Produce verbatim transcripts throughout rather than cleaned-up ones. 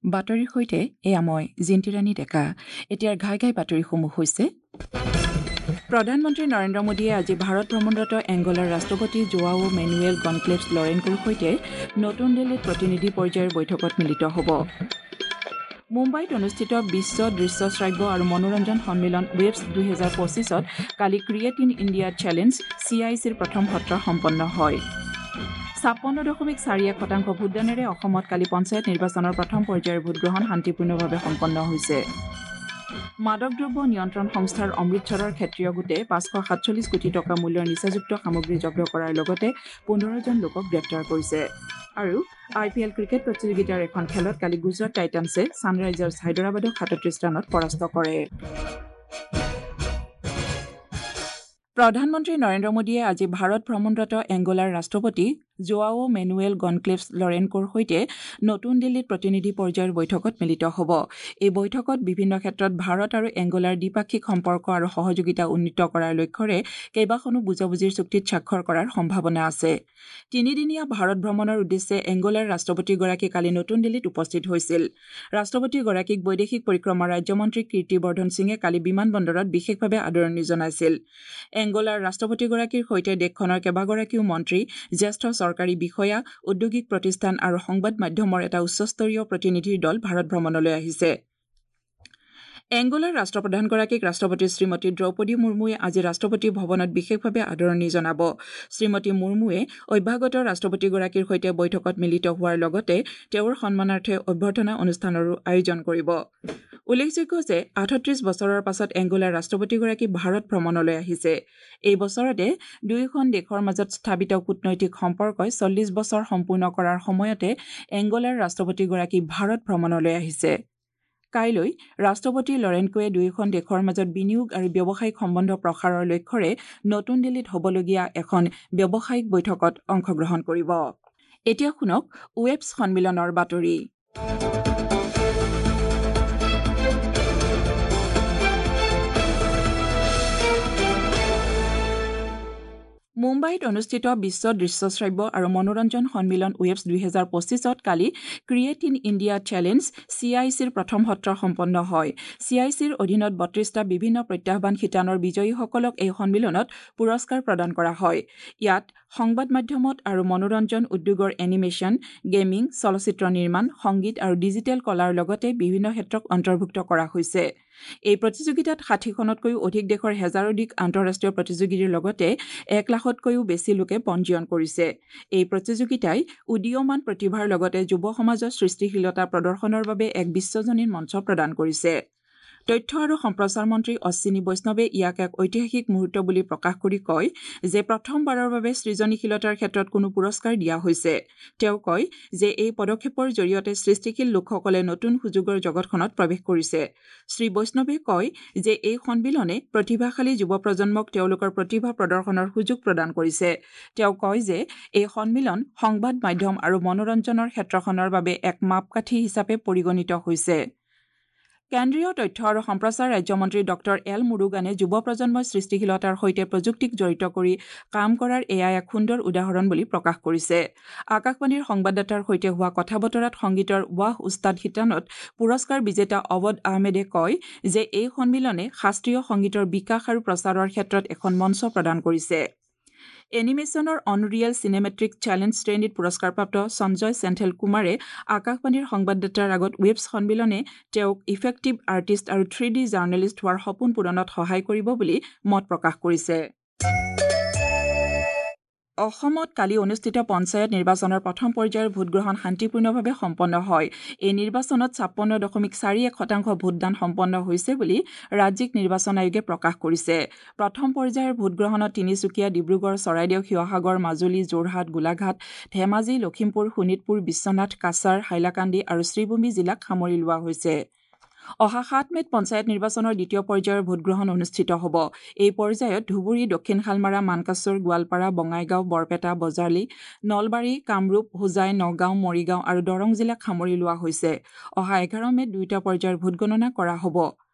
বাতৰিৰ সৈতে এয়া মই জিন্তিৰাণী ডেকা। এতিয়াৰ ঘাই ঘাই বাতৰিসমূহ হৈছে: প্ৰধানমন্ত্ৰী নৰেন্দ্ৰ মোদীয়ে আজি ভাৰত ভ্ৰমণৰত এংগোলাৰ ৰাষ্ট্ৰপতি জোৱাও মেনুৱেল গনক্লেভছ লৰেনকোৰ সৈতে নতুন দিল্লীত প্ৰতিনিধি পৰ্যায়ৰ বৈঠকত মিলিত হ'ব। মুম্বাইত অনুষ্ঠিত বিশ্ব দৃশ্য শ্ৰাব্য আৰু মনোৰঞ্জন সন্মিলন ৱেভছ দুহেজাৰ পঁচিছত কালি create in India challenge C I চিৰ প্ৰথম সত্ৰ সম্পন্ন হয়। ছাপন্ন দশমিক চাৰি এক শতাংশ ভোটদানেৰে অসমত কালি পঞ্চায়ত নিৰ্বাচনৰ প্ৰথম পৰ্যায়ৰ ভোটগ্ৰহণ শান্তিপূৰ্ণভাৱে সম্পন্ন হৈছে। মাদক দ্ৰব্য নিয়ন্ত্ৰণ সংস্থাৰ অমৃতসৰৰ ক্ষেত্ৰীয় গোটে পাঁচশ সাতচল্লিছ কোটি টকা মূল্যৰ নিচাযুক্ত সামগ্ৰী জব্দ কৰাৰ লগতে পোন্ধৰজন লোকক গ্ৰেপ্তাৰ কৰিছে। আৰু আই পি এল ক্ৰিকেট প্ৰতিযোগিতাৰ এখন খেলত কালি গুজৰাট টাইটানছে ছানৰাইজাৰ্ছ হায়দৰাবাদক সাতত্ৰিছ ৰানত পৰাস্ত কৰে। প্ৰধানমন্ত্ৰী নৰেন্দ্ৰ মোদীয়ে আজি ভাৰত ভ্ৰমণৰত এংগোলাৰ ৰাষ্ট্ৰপতি জোৱাও মেনুৱেল গনক্লেভছ লৰেনকোৰ সৈতে নতুন দিল্লীত প্ৰতিনিধি পৰ্যায়ৰ বৈঠকত মিলিত হ'ব। এই বৈঠকত বিভিন্ন ক্ষেত্ৰত ভাৰত আৰু এংগোলাৰ দ্বিপাক্ষিক সম্পৰ্ক আৰু সহযোগিতা উন্নীত কৰাৰ লক্ষ্যৰে কেইবাখনো বুজাবুজিৰ চুক্তিত স্বাক্ষৰ কৰাৰ সম্ভাৱনা আছে। তিনিদিনীয়া ভাৰত ভ্ৰমণৰ উদ্দেশ্যে এংগোলাৰ ৰাষ্ট্ৰপতিগৰাকী কালি নতুন দিল্লীত উপস্থিত হৈছিল। ৰাষ্ট্ৰপতিগৰাকীক বৈদেশিক পৰিক্ৰমা ৰাজ্যমন্ত্ৰী কীৰ্তিবৰ্ধন সিঙে কালি বিমানবন্দৰত বিশেষভাৱে আদৰণি জনাইছিল। এংগোলাৰ ৰাষ্ট্ৰপতিগৰাকীৰ সৈতে দেশখনৰ কেইবাগৰাকীও মন্ত্ৰী, জ্যেষ্ঠ চৰকাৰী বিষয়া, ঔদ্যোগিক প্ৰতিষ্ঠান আৰু সংবাদ মাধ্যমৰ এটা উচ্চস্তৰীয় প্ৰতিনিধিৰ দল ভাৰত ভ্ৰমণলৈ আহিছে। এংগোলাৰ ৰাষ্ট্ৰপ্ৰধানগৰাকীক ৰাষ্ট্ৰপতি শ্ৰীমতী দ্ৰৌপদী মুৰ্মুৱে আজি ৰাষ্ট্ৰপতি ভৱনত বিশেষভাৱে আদৰণি জনাব। শ্ৰীমতী মুৰ্মুৱে অভ্যাগত ৰাষ্ট্ৰপতিগৰাকীৰ সৈতে বৈঠকত মিলিত হোৱাৰ লগতে তেওঁৰ সন্মানাৰ্থে অভ্যৰ্থনা অনুষ্ঠানৰো আয়োজন কৰিব। উল্লেখযোগ্য যে আঠত্ৰিছ বছৰৰ পাছত এংগোলাৰ ৰাষ্ট্ৰপতিগৰাকী ভাৰত ভ্ৰমণলৈ আহিছে। এই বছৰতে দুয়োখন দেশৰ মাজত স্থাপিত কূটনৈতিক সম্পৰ্কই চল্লিছ বছৰ সম্পূৰ্ণ কৰাৰ সময়তে এংগোলাৰ ৰাষ্ট্ৰপতিগৰাকী ভাৰত ভ্ৰমণলৈ আহিছে। কাইলৈ ৰাষ্ট্ৰপতি লৰেনকোৱে দুয়োখন দেশৰ মাজত বিনিয়োগ আৰু ব্যৱসায়িক সম্বন্ধ প্ৰসাৰৰ লক্ষ্যৰে নতুন দিল্লীত হ'বলগীয়া এখন ব্যৱসায়িক বৈঠকত অংশগ্ৰহণ কৰিব। এতিয়া শুনক ৱেবছ সন্মিলনৰ বাতৰি। মুম্বাইত অনুষ্ঠিত বিশ্ব দৃশ্য শ্ৰাব্য আৰু মনোৰঞ্জন সন্মিলন ৱেভছ দুহেজাৰ পঁচিছত কালি create in India challenge C I চিৰ প্ৰথম সত্ৰ সম্পন্ন হয়। চি I চিৰ অধীনত বত্ৰিছটা বিভিন্ন প্ৰত্যাহ্বান শিতানৰ বিজয়ীসকলক এই সন্মিলনত পুৰস্কাৰ প্ৰদান কৰা হয়। ইয়াত সংবাদ মাধ্যমত আৰু মনোৰঞ্জন উদ্যোগৰ এনিমেশ্যন, গেমিং, চলচ্চিত্ৰ নিৰ্মাণ, সংগীত আৰু ডিজিটেল কলাৰ লগতে বিভিন্ন ক্ষেত্ৰক অন্তৰ্ভুক্ত কৰা হৈছে। এই প্ৰতিযোগিতাত ষাঠিখনতকৈও অধিক দেশৰ হেজাৰোধিক আন্তঃৰাষ্ট্ৰীয় প্ৰতিযোগীৰ লগতে এক লাখতকৈও বেছি লোকে পঞ্জীয়ন কৰিছে। এই প্ৰতিযোগিতাই উদীয়মান প্ৰতিভাৰ লগতে যুৱ সমাজৰ সৃষ্টিশীলতা প্ৰদৰ্শনৰ বাবে এক বিশ্বজনীন মঞ্চ প্ৰদান কৰিছে। তথ্য আৰু সম্প্ৰচাৰ মন্ত্ৰী অশ্বিনী বৈষ্ণৱে ইয়াক এক ঐতিহাসিক মুহূৰ্ত বুলি প্ৰকাশ কৰি কয় যে প্ৰথমবাৰৰ বাবে সৃজনীশীলতাৰ ক্ষেত্ৰত কোনো পুৰস্কাৰ দিয়া হৈছে। তেওঁ কয় যে এই পদক্ষেপৰ জৰিয়তে সৃষ্টিশীল লোকসকলে নতুন সুযোগৰ জগতখনত প্ৰৱেশ কৰিছে। শ্ৰী বৈষ্ণৱে কয় যে এই সন্মিলনে প্ৰতিভাশালী যুৱ প্ৰজন্মক তেওঁলোকৰ প্ৰতিভা প্ৰদৰ্শনৰ সুযোগ প্ৰদান কৰিছে। তেওঁ কয় যে এই সন্মিলন সংবাদ মাধ্যম আৰু মনোৰঞ্জনৰ ক্ষেত্ৰখনৰ বাবে এক মাপকাঠি হিচাপে পৰিগণিত হৈছে। কেন্দ্ৰীয় তথ্য আৰু সম্প্ৰচাৰ ৰাজ্যমন্ত্ৰী ডক্টৰ এল মুৰুগানে যুৱ প্ৰজন্মই সৃষ্টিশীলতাৰ সৈতে প্ৰযুক্তিক জড়িত কৰি কাম কৰাৰ এয়া এক সুন্দৰ উদাহৰণ বুলি প্ৰকাশ কৰিছে। আকাশবাণীৰ সংবাদদাতাৰ সৈতে হোৱা কথা বতৰাত সংগীতৰ ৱাহ উস্তাদ শিতানত পুৰস্কাৰ বিজেতা অৱধ আহমেদে কয় যে এই সন্মিলনে শাস্ত্ৰীয় সংগীতৰ বিকাশ আৰু প্ৰচাৰৰ ক্ষেত্ৰত এখন মঞ্চ প্ৰদান কৰিছে। এনিমেশ্যনৰ অনৰিয়েল চিনেমেট্ৰিক চেলেঞ্জ শ্ৰেণীত পুৰস্কাৰপ্ৰাপ্ত সঞ্জয় চেন্থেল কুমাৰে আকাশবাণীৰ সংবাদদাতাৰ আগত ৱেবছ সন্মিলনে তেওঁক ইফেক্টিভ আৰ্টিষ্ট আৰু থ্ৰী ডি জাৰ্নেলিষ্ট হোৱাৰ সপোন পূৰণত সহায় কৰিব বুলি মত প্ৰকাশ কৰিছে। অসমত কালি অনুষ্ঠিত পঞ্চায়ত নিৰ্বাচনৰ প্ৰথম পৰ্যায়ৰ ভোটগ্ৰহণ শান্তিপূৰ্ণভাৱে সম্পন্ন হয়। এই নিৰ্বাচনত ছাপন্ন দশমিক চাৰি এক শতাংশ ভোটদান সম্পন্ন হৈছে বুলি ৰাজ্যিক নিৰ্বাচন আয়োগে প্ৰকাশ কৰিছে। প্ৰথম পৰ্যায়ৰ ভোটগ্ৰহণত তিনিচুকীয়া, ডিব্ৰুগড়, চৰাইদেউ, শিৱসাগৰ, মাজুলী, যোৰহাট, গোলাঘাট, ধেমাজি, লখিমপুৰ, শোণিতপুৰ, বিশ্বনাথ, কাছাৰ, হাইলাকান্দি আৰু শ্ৰীভূমি জিলাক সামৰি লোৱা হৈছে। অহা সাত মে'ত পঞ্চায়ত নিৰ্বাচনৰ দ্বিতীয় পৰ্যায়ৰ ভোটগ্ৰহণ অনুষ্ঠিত হ'ব। এই পৰ্যায়ত ধুবুৰী, দক্ষিণ শালমাৰা, মানকাচৰ, গোৱালপাৰা, বঙাইগাঁও, বৰপেটা, বজালী, নলবাৰী, কামৰূপ, হোজাই, নগাঁও, মৰিগাঁও আৰু দৰং জিলাক সামৰি লোৱা হৈছে। অহা এঘাৰ মে'ত দুয়োটা পৰ্যায়ৰ ভোটগণনা কৰা হ'ব।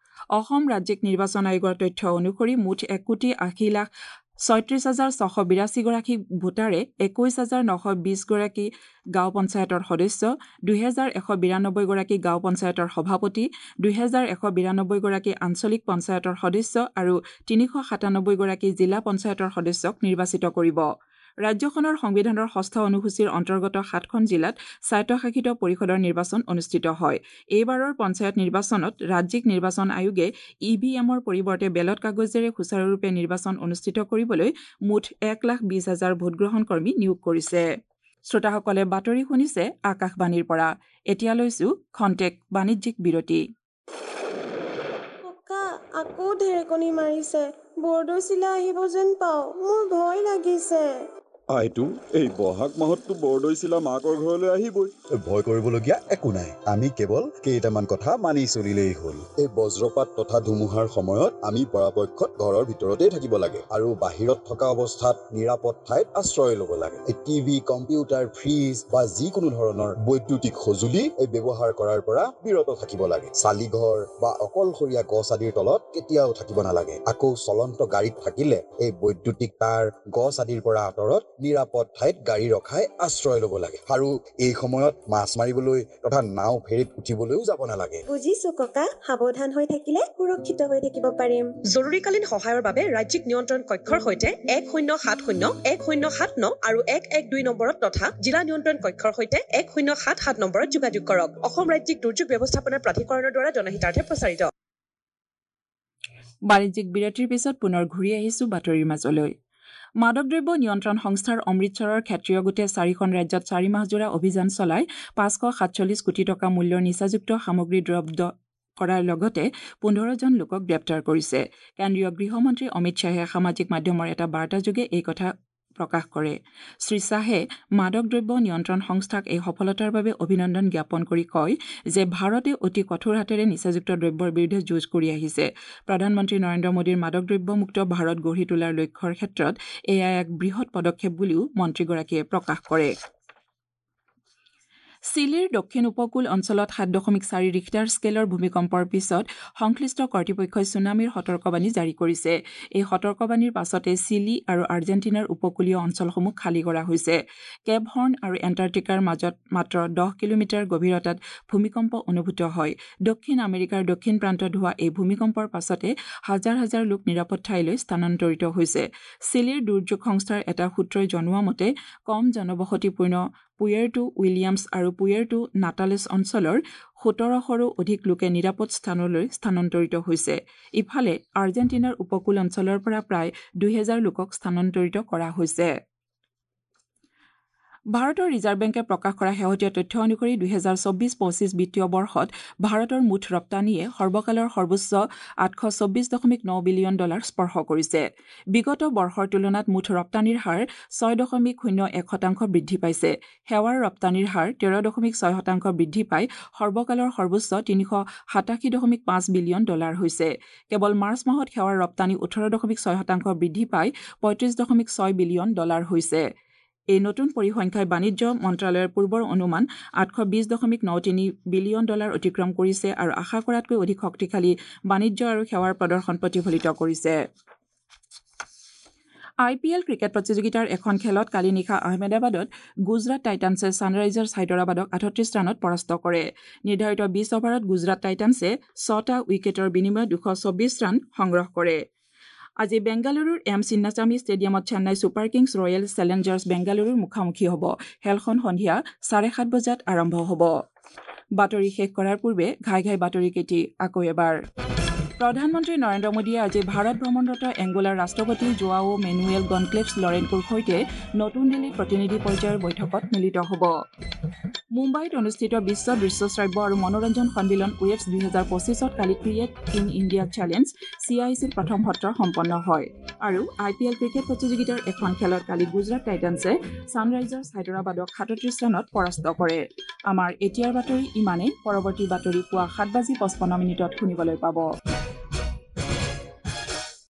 অসম ৰাজ্যিক নিৰ্বাচন আয়োগৰ তথ্য অনুসৰি মুঠ এক কোটি আশী লাখ ছয়ত্ৰিছ হাজাৰ ছশ বিৰাশীগৰাকী ভোটাৰে একৈছ হাজাৰ নশ বিছগৰাকী গাঁও পঞ্চায়তৰ সদস্য, দুহেজাৰ এশ বিৰানব্বৈগৰাকী গাঁও পঞ্চায়তৰ সভাপতি, দুহেজাৰ এশ বিৰানব্বৈগৰাকী আঞ্চলিক পঞ্চায়তৰ সদস্য আৰু তিনিশ সাতানব্বৈগৰাকী জিলা পঞ্চায়তৰ সদস্যক নিৰ্বাচিত কৰিব। ৰাজ্যখনৰ সংবিধানৰ ষষ্ঠ অনুসূচীৰ অন্তৰ্গত সাতখন জিলাত স্বায়ত্তশাসিত পৰিষদৰ নিৰ্বাচন অনুষ্ঠিত হয়। এইবাৰৰ পঞ্চায়ত নিৰ্বাচনত ৰাজ্যিক নিৰ্বাচন আয়োগে ই ভি এমৰ পৰিৱৰ্তে বেলট কাগজেৰে সুচাৰুৰূপে নিৰ্বাচন অনুষ্ঠিত কৰিবলৈ মুঠ এক লাখ বিছ হাজাৰ ভোটগ্ৰহণ কৰ্মী নিয়োগ কৰিছে। শ্ৰোতাসকলে বাতৰি শুনিছে আকাশবাণীৰ পৰা। এতিয়া লৈছো খন্তেক বাণিজ্যিক বিৰতি। ককা, আকৌ ঢেৰেকনি মাৰিছে, বৰদৈচিলা আহিব যেন পাওঁ, মোৰ ভয় লাগিছে। আইতো, এই বহাগ মাহততো বৰদৈচিলা মাকৰ ঘৰলৈ আহিবই। ভয় কৰিবলগীয়া একো নাই, আমি কেৱল কেইটামান কথা মানি চলিলেই হ'ল। এই বজ্ৰপাত তথা ধুমুহাৰ সময়ত আমি পৰাপক্ষত ঘৰৰ ভিতৰতেই থাকিব লাগে আৰু বাহিৰত থকা অৱস্থাত নিৰাপদ ঠাইত আশ্ৰয় ল'ব লাগে। এই টিভি, কম্পিউটাৰ, ফ্ৰিজ বা যিকোনো ধৰণৰ বৈদ্যুতিক সঁজুলি এই ব্যৱহাৰ কৰাৰ পৰা বিৰত থাকিব লাগে। চালিঘৰ বা অকলশৰীয়া গছ আদিৰ তলত কেতিয়াও থাকিব নালাগে। আকৌ চলন্ত গাড়ীত থাকিলে এই বৈদ্যুতিক তাঁৰ, গছ আদিৰ পৰা আঁতৰত নিৰাপদ ঠাইত গাড়ী ৰখাই আশ্ৰয় ল'ব লাগে। আৰু এই সময়ত মাছ মাৰিবলৈ তথা নাও ফেৰীত উঠিবলৈও যাব নালাগে। বুজিছো ককা, সাৱধান হৈ থাকিলে সুৰক্ষিত হৈ থাকিব পাৰিম। জৰুৰীকালীন সহায়ৰ বাবে ৰাজ্যিক নিয়ন্ত্ৰণ কক্ষৰ সৈতে এক শূন্য সাত শূন্য এক শূন্য সাত ন আৰু এক এক দুই নম্বৰত তথা জিলা নিয়ন্ত্ৰণ কক্ষৰ সৈতে এক শূন্য সাত সাত নম্বৰত যোগাযোগ কৰক। অসম ৰাজ্যিক দুৰ্যোগ ব্যৱস্থাপনা প্ৰাধিকৰণৰ দ্বাৰা জনহিতাৰ্থে প্ৰচাৰিত। বাণিজ্যিক বিৰতিৰ পিছত পুনৰ ঘূৰি আহিছো বাতৰিৰ মাজলৈ। মাদক দ্ৰব্য নিয়ন্ত্ৰণ সংস্থাৰ অমৃতসৰৰ ক্ষেত্ৰীয় গোটে চাৰিখন ৰাজ্যত চাৰি মাহজোৰা অভিযান চলাই পাঁচশ সাতচল্লিছ কোটি টকা মূল্যৰ নিচাযুক্ত সামগ্ৰী জব্দ কৰাৰ লগতে পোন্ধৰজন লোকক গ্ৰেপ্তাৰ কৰিছে। কেন্দ্ৰীয় গৃহমন্ত্ৰী অমিত শ্বাহে সামাজিক মাধ্যমৰ এটা বাৰ্তাযোগে এই কথা প্ৰকাশ কৰে। শ্ৰী শ্বাহে মাদক দ্ৰব্য নিয়ন্ত্ৰণ সংস্থাক এই সফলতাৰ বাবে অভিনন্দন জ্ঞাপন কৰি কয় যে ভাৰতে অতি কঠোৰ হাতেৰে নিচাযুক্ত দ্ৰব্যৰ বিৰুদ্ধে যুঁজ কৰি আহিছে। প্ৰধানমন্ত্ৰী নৰেন্দ্ৰ মোদীৰ মাদক দ্ৰব্যমুক্ত ভাৰত গঢ়ি তোলাৰ লক্ষ্যৰ ক্ষেত্ৰত এয়া এক বৃহৎ পদক্ষেপ বুলিও মন্ত্ৰীগৰাকীয়ে প্ৰকাশ কৰে। চিলিৰ দক্ষিণ উপকূল অঞ্চলত সাত দশমিক চাৰি ৰিখটাৰ স্কেলৰ ভূমিকম্পৰ পিছত সংশ্লিষ্ট কৰ্তৃপক্ষই ছুনামিৰ সতৰ্কবাণী জাৰি কৰিছে। এই সতৰ্কবাণীৰ পাছতে চিলি আৰু আৰ্জেণ্টিনাৰ উপকূলীয় অঞ্চলসমূহ খালী কৰা হৈছে। কেপ হৰ্ণ আৰু এণ্টাৰ্কটিকাৰ মাজত মাত্ৰ দহ কিলোমিটাৰ গভীৰতাত ভূমিকম্প অনুভূত হয়। দক্ষিণ আমেৰিকাৰ দক্ষিণ প্ৰান্তত হোৱা এই ভূমিকম্পৰ পাছতে হাজাৰ হাজাৰ লোক নিৰাপদ ঠাইলৈ স্থানান্তৰিত হৈছে। চিলিৰ দুৰ্যোগ সংস্থাৰ এটা সূত্ৰই জনোৱা মতে কম জনবসতিপূৰ্ণ পুয়েৰ্টো উইলিয়ামছ আৰু পুয়েৰ্টো নাটালেছ অঞ্চলৰ সোতৰশৰো অধিক লোকে নিৰাপদ স্থানলৈ স্থানান্তৰিত হৈছে। ইফালে আৰ্জেণ্টিনাৰ উপকূল অঞ্চলৰ পৰা প্ৰায় দুহেজাৰ লোকক স্থানান্তৰিত কৰা হৈছে। ভাৰতৰ ৰিজাৰ্ভ বেংকে প্ৰকাশ কৰা শেহতীয়া তথ্য অনুসৰি দুহেজাৰ চৌব্বিছ পঁচিছ বিত্তীয় বৰ্ষত ভাৰতৰ মুঠ ৰপ্তানিয়ে সৰ্বকালৰ সৰ্বোচ্চ আঠশ চৌব্বিছ দশমিক ন বিলিয়ন ডলাৰ স্পৰ্শ কৰিছে। বিগত বৰ্ষৰ তুলনাত মুঠ ৰপ্তানিৰ হাৰ ছয় দশমিক শূন্য এক শতাংশ বৃদ্ধি পাইছে। সেৱাৰ ৰপ্তানিৰ হাৰ তেৰ দশমিক ছয় শতাংশ বৃদ্ধি পাই সৰ্বকালৰ সৰ্বোচ্চ তিনিশ সাতাশী দশমিক পাঁচ বিলিয়ন ডলাৰ হৈছে। কেৱল মাৰ্চ মাহত সেৱাৰ ৰপ্তানি ওঠৰ দশমিক ছয় শতাংশ বৃদ্ধি পাই পঁয়ত্ৰিছ দশমিক ছয় বিলিয়ন ডলাৰ হৈছে। এই নতুন পৰিসংখ্যাই বাণিজ্য মন্ত্ৰালয়ৰ পূৰ্বৰ অনুমান আঠশ বিছ দশমিক ন তিনি বিলিয়ন ডলাৰ অতিক্ৰম কৰিছে আৰু আশা কৰাতকৈ অধিক শক্তিশালী বাণিজ্য আৰু সেৱাৰ প্ৰদৰ্শন প্ৰতিফলিত কৰিছে। আই পি এল ক্ৰিকেট প্ৰতিযোগিতাৰ এখন খেলত কালি নিশা আহমেদাবাদত গুজৰাট টাইটানছে ছানৰাইজাৰ্ছ হায়দৰাবাদক আঠত্ৰিছ ৰানত পৰাস্ত কৰে। নিৰ্ধাৰিত বিছ অভাৰত গুজৰাট টাইটানছে ছটা উইকেটৰ বিনিময়ত দুশ চৌব্বিছ ৰান সংগ্ৰহ কৰে। আজি বেংগালুৰুৰ এম চিন্নাস্বামী ষ্টেডিয়ামত Chennai Super Kings Royal Challengers বেংগালুৰুৰ মুখামুখি হ'ব। খেলখন সন্ধিয়া চাৰে সাত বজাত আৰম্ভ হ'ব। বাতৰি শেষ কৰাৰ পূৰ্বে ঘাই ঘাই বাতৰিকেইটি আকৌ এবাৰ। প্ৰধানমন্ত্ৰী নৰেন্দ্ৰ মোদীয়ে আজি ভাৰত ভ্ৰমণৰত এংগোলাৰ ৰাষ্ট্ৰপতি জোৱাও মেনুৱেল গনক্লেভছ লৰেনকোৰ সৈতে নতুন দিল্লীত প্ৰতিনিধি পৰ্যায়ৰ বৈঠকত মিলিত হ'ব। মুম্বাইত অনুষ্ঠিত বিশ্ব দৃশ্য শ্ৰাব্য আৰু মনোৰঞ্জন সন্মিলন ৱেভছ দুহেজাৰ পঁচিছত কালি create in India challenge C I চিৰ প্ৰথম সত্ৰ সম্পন্ন হয়। আৰু আই পি এল ক্ৰিকেট প্ৰতিযোগিতাৰ এখন খেলত কালি গুজৰাট টাইটানছে ছানৰাইজাৰ্ছ হায়দৰাবাদক সাতত্ৰিছ ৰানত পৰাস্ত কৰে। আমাৰ এতিয়াৰ বাতৰি ইমানেই। পৰৱৰ্তী বাতৰি পুৱা সাত বাজি পঁচপন্ন মিনিটত শুনিবলৈ পাব।